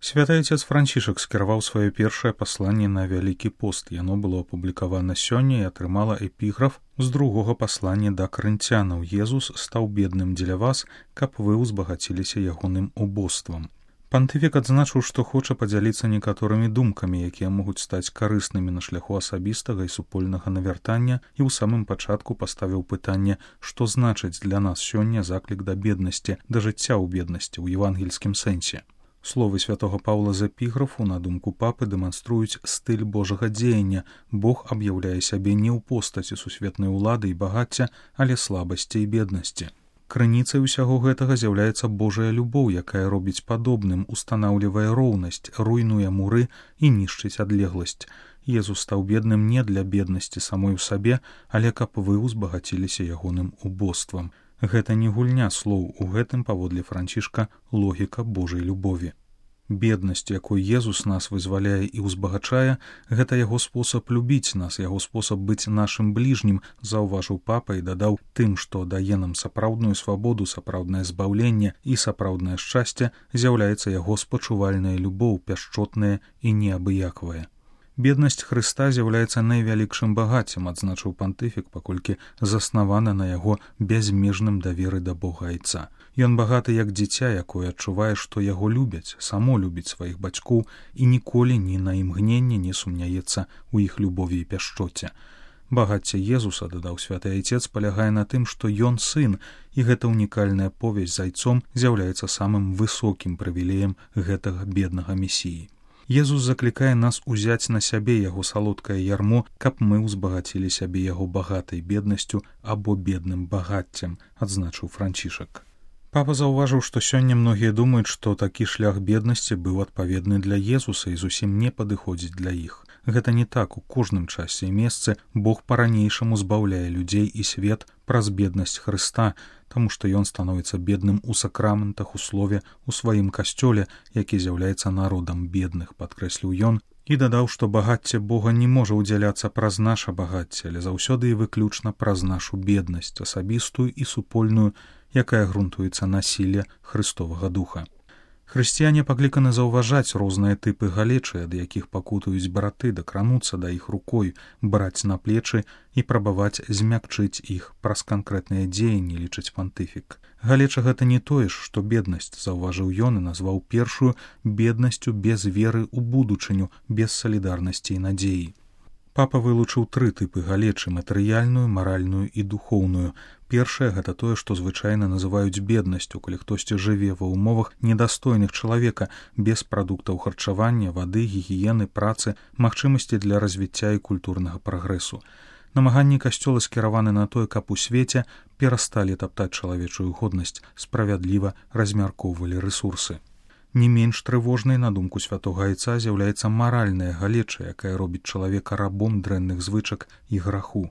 Святы Отец Францішак скіраваў сваё першае пасланне на Вялікі пост. Яно было апублікавана сёння і атрымала эпіграф з другога паслання да карынцянаў. Езус стаў бедным дзеля вас, каб вы ўзбагаціліся ягоным убоствам. Пантыфік адзначыў, што хоча падзяліцца некаторымі думкамі, якія могуць стаць карыснымі на шляху асабістага і супольнага навяртання, і ў самым пачатку паставіў пытанне, што значыць для нас сёння заклік да беднасці, да жыцця ў беднасці ў евангельскім сэнсе. Словы святого Паўла з эпіграфу, на думку папы, дэманструюць стыль Божага дзеяння. Бог аб'яўляе сябе не ў постаці сусветнай улады і багацця, але слабасці і беднасці. Крыніцай усяго гэтага з'яўляецца Божая любоў, якая робіць падобным, устанаўлівае роўнасць, руйнуе муры і нішчыць адлегласць. Езус стаў бедным не для беднасці самой у сабе, але каб вы ўзбагаціліся ягоным убоствам. Гэта не гульня слоў, у гэтым, паводле Францішка, логіка Божай любові. Беднасць, якой Езус нас вызваляе і ўзбагачае, гэта яго спосаб любіць нас, яго спосаб быць нашым бліжнім, заўважыў папа і дадаў, тым, што дае нам сапраўдную свабоду, сапраўднае збаўленне і сапраўднае шчасце, з'яўляецца яго спачувальная любоў, пяшчотная і неабыякавая. Беднасць Хрыста з'яўляецца найвялікшым багаццем, адзначыў пантыфік, паколькі заснавана на яго бязмежным даверы да Бога Айца. Ён багаты як дзіця, якое адчувае, што яго любяць, само любіць сваіх бацькоў і ніколі ні на імгненне не сумняецца ў іх любові і пяшчоце. Багацце Езуса, дадаў святы Айцец, палягае на тым, што ён сын, і гэта унікальная повязь з Айцом з'яўляецца самым высокім прывілеем гэтага беднага месіі. Езус заклікае нас узяць на сябе яго салодкае ярмо, каб мы ўзбагацілі сябе яго багатай беднасцю або бедным багаццем, адзначыў Францішак. Папа заўважыў, што сёння многія думаюць, што такі шлях беднасці быў адпаведны для Езуса і зусім не падыходзіць для іх. Гэта не так, у кожным часе і месцы Бог па-ранейшаму збаўляе людзей і свет праз беднасць Хрыста, таму што ён становіцца бедным у сакраментах, у слове, у сваім касцёле, які з'яўляецца народам бедных, падкрэсліў ён, і дадаў, што багацце Бога не можа ўдзяляцца праз наша багацце, але заўсёды і выключна праз нашу беднасць, асабістую і супольную, якая грунтуецца на сіле Хрыстовага духа. Хрысціяне пакліканы заўважаць розныя тыпы галечы, ад якіх пакутуюць браты, дакрануцца да іх рукой, браць на плечы і прабаваць змякчыць іх праз канкрэтныя дзеянні, лічыць пантыфік. Галеча гэта не тое ж, што беднасць, заўважыў ён і назваў першую беднасцю без веры ў будучыню, без салідарнасці і надзеі. Папа вылучыў тры тыпы галечы: матэрыяльную, маральную і духоўную. Першае гэта тое, што звычайна называюць беднасцю, калі хтосьці жыве ва ўмовах недастойных чалавека, без прадуктаў харчавання, вады, гігіены, працы, магчымасці для развіцця і культурнага прагрэсу. Намаганні касцёла скіраваны на тое, каб у свеце перасталі таптаць чалавечую годнасць, справядліва размяркоўвалі рэсурсы. Не менш трывожнай, на думку святога Айца, з'яўляецца маральная галеча, якая робіць чалавека рабом дрэнных звычак і граху.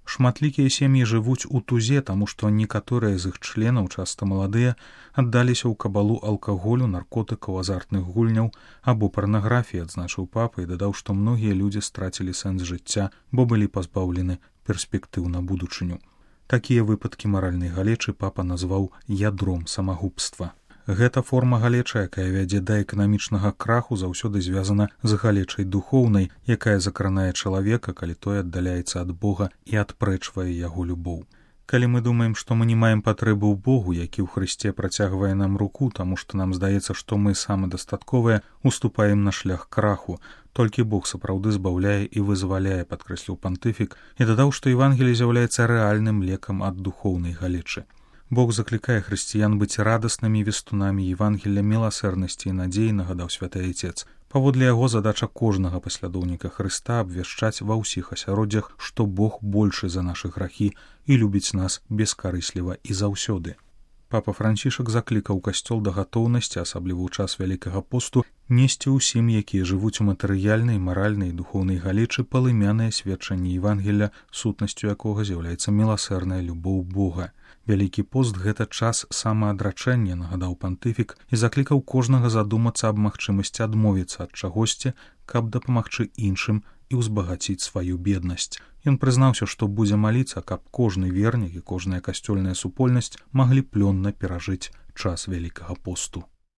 Шматлікія сем'і жывуць у тузе, таму што некаторыя з іх членаў, часта маладыя, аддаліся ў кабалу алкаголю, наркотыкаў, азартных гульняў або парнаграфіі, адзначыў папа і дадаў, што многія людзі страцілі сэнс жыцця, бо былі пазбаўлены перспектыў на будучыню. Такія выпадкі маральнай галечы папа назваў ядром самагубства. Гэта форма галечы, якая вядзе да эканамічнага краху, заўсёды звязана з галечай духоўнай, якая закранае чалавека, калі той аддаляецца ад Бога і адпрэчвае яго любоў. Калі мы думаем, што мы не маем патрэбы ў Богу, які ў Хрысце працягвае нам руку, таму што нам здаецца, што мы самадастатковыя, уступаем на шлях краху. Толькі Бог сапраўды збаўляе і вызваляе, падкрэсліў пантыфік, і дадаў, што Евангеліе з'яўляецца рэальным лекам ад духоўнай галечы. Бог заклікае хрысціян быць радаснымі вестунамі Евангелля міласэрнасці і надзеі, нагадаў святы Айцец. Паводле яго задача кожнага паслядоўніка Хрыста абвяшчаць ва ўсіх асяроддзях, што Бог большы за нашы грахі і любіць нас бескарысліва і заўсёды. Папа Францішак заклікаў касцёл да гатоўнасці, асабліва ў час Вялікага посту, несці ўсім, якія жывуць у матэрыяльнай, маральнай і духоўнай галечы, палымянае сведчанне Евангелля, сутнасцю якога з'яўляецца міласэрная любоў Бога. Вялікі пост — гэта час самаадрачэння, нагадаў пантыфік, і заклікаў кожнага задумацца аб магчымасці адмовіцца ад чагосьці, каб дапамагчы іншым і ўзбагаціць сваю беднасць. Ён прызнаўся, што будзе маліцца, каб кожны вернік і кожная касцёльная супольнасць маглі плённа перажыць час Вялікага посту.